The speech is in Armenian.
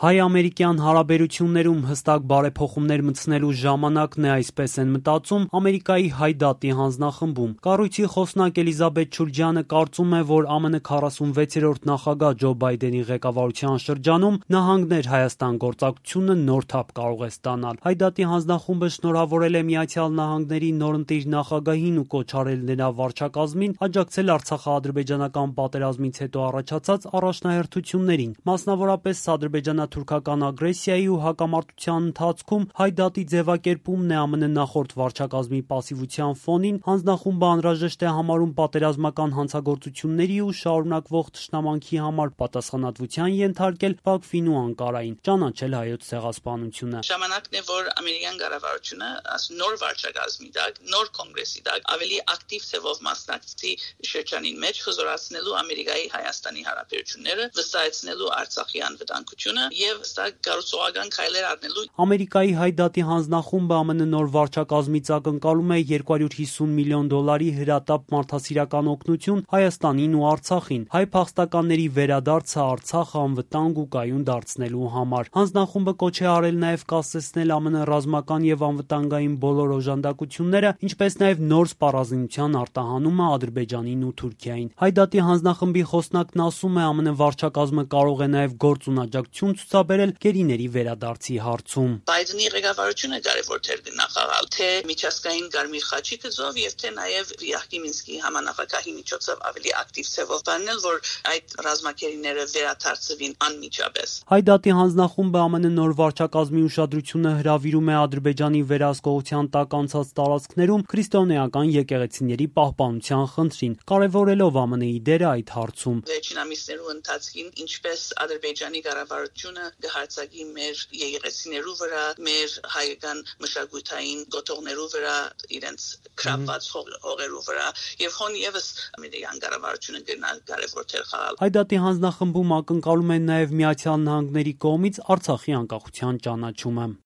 Հայ-ամերիկյան հարաբերություններում հստակ բարեփոխումներ մտցնելու ժամանակն է, այսպես են մտածում Ամերիկայի Հայ դատի հանձնախմբում։ Կառույցի խոսնակ Էլիզաբեթ Շուրջյանը կարծում է, որ ԱՄՆ 46-րդ նախագահ Ջո Բայդենի ղեկավարության շրջանում նահանգներ Հայաստան գործակցությունը նոր թափ կարող է ստանալ։ Հայ դատի հանձնախումբը շնորհավորել է Միացյալ Նահանգների նորընտիր նախագահին ու կոչ արել նրա վարչակազմին աջակցել արցախա-ադրբեջանական պատերազմից հետո առաջացած առաջնահերթություններին, մասնավորապես ադրբեջանա-թուրքական ագրեսիայի ու հակամարտության ընթացքում Հայ դատի ձևակերպումն է ԱՄՆ նախորդ վարչակազմի պասիվության ֆոնին հանձնախումբը անհրաժեշտ է համարում պատերազմական հանցագործությունների ու շարունակվող թշնամանքի համար պատասխանատվության ենթարկել Բաքվին ու Անկարային, ճանաչել Հայոց ցեղասպանությունը։ Ժամանակն է, որ ամերիկյան կառավարությունը նոր վարչակազմի տակ, նոր կոնգրեսի տակ ավելի ակտիվ ձևով մասնակցի շրջանին մեջ հզորացնելու Ամերիկայի Հայաստանի հարաբերությունները, վստահեցնելու Արցախի անվտանգությունը եւ սա կառուցողական քայլեր առնելու։ Ամերիկայի Հայ դատի հանձնախումբը ԱՄՆ նոր վարչակազմից ակնկալում է $250 միլիոն հրատապ մարդասիրական օգնություն Հայաստանին ու Արցախին, հայ փախստականների վերադարձը Արցախը անվտանգ ու կայուն դարձնելու համար։ Հանձնախումբը կոչ է արել նաև կասեցնել ԱՄՆ ռազմական եւ անվտանգային բոլոր օժանդակությունները, ինչպես նաև նոր սպառազինության արտահանումը Ադրբեջանին ու Թուրքիային։ Հայ դատի հանձնախմբի խոսնակն ասում է, ԱՄՆ վարչակազմը կարող է նաև գործունեություն ցուցաբերել գերիների վերադարձի հարցում։ Բայդենի ղեկավարությունը կարևոր դեր կնախաղալ թե միջազգային Կարմիր խաչի գծով եւ թե նաև Յախքի Մինսկի համանախագահի միջոցով ավելի ակտիվ ձևով բանել, որ այդ ռազմագերիները վերադարձվին անմիջապես։ Հայ դատի հանձնախումբը ԱՄՆ նոր վարչակազմի ուշադրությունը հրավիրում է Ադրբեջանի վերահսկողության տակ անցած տարածքներում քրիստոնեական եկեղեցիների պահպանության խնդրին, կարևորելով ԱՄՆ-ի դերը այդ հարցում։ Վերջին ամիսներու ընթացքին ինչպես Ադրբեջանի կառավարությունը կհարցակի մեր եկեղեցիներու վրա, մեր հայկական մշակութային գոտողներու վրա, իրենց քրապած հողերու վրա եւ հոն եւս ամերիկյան կառավարությունը կարևոր դեր խաղալ։ Հայ դատի հանձնախմբում ակնկալում են նաեւ Միացյալ Նահանգների կողմից Արցախի անկախության ճանաչումը։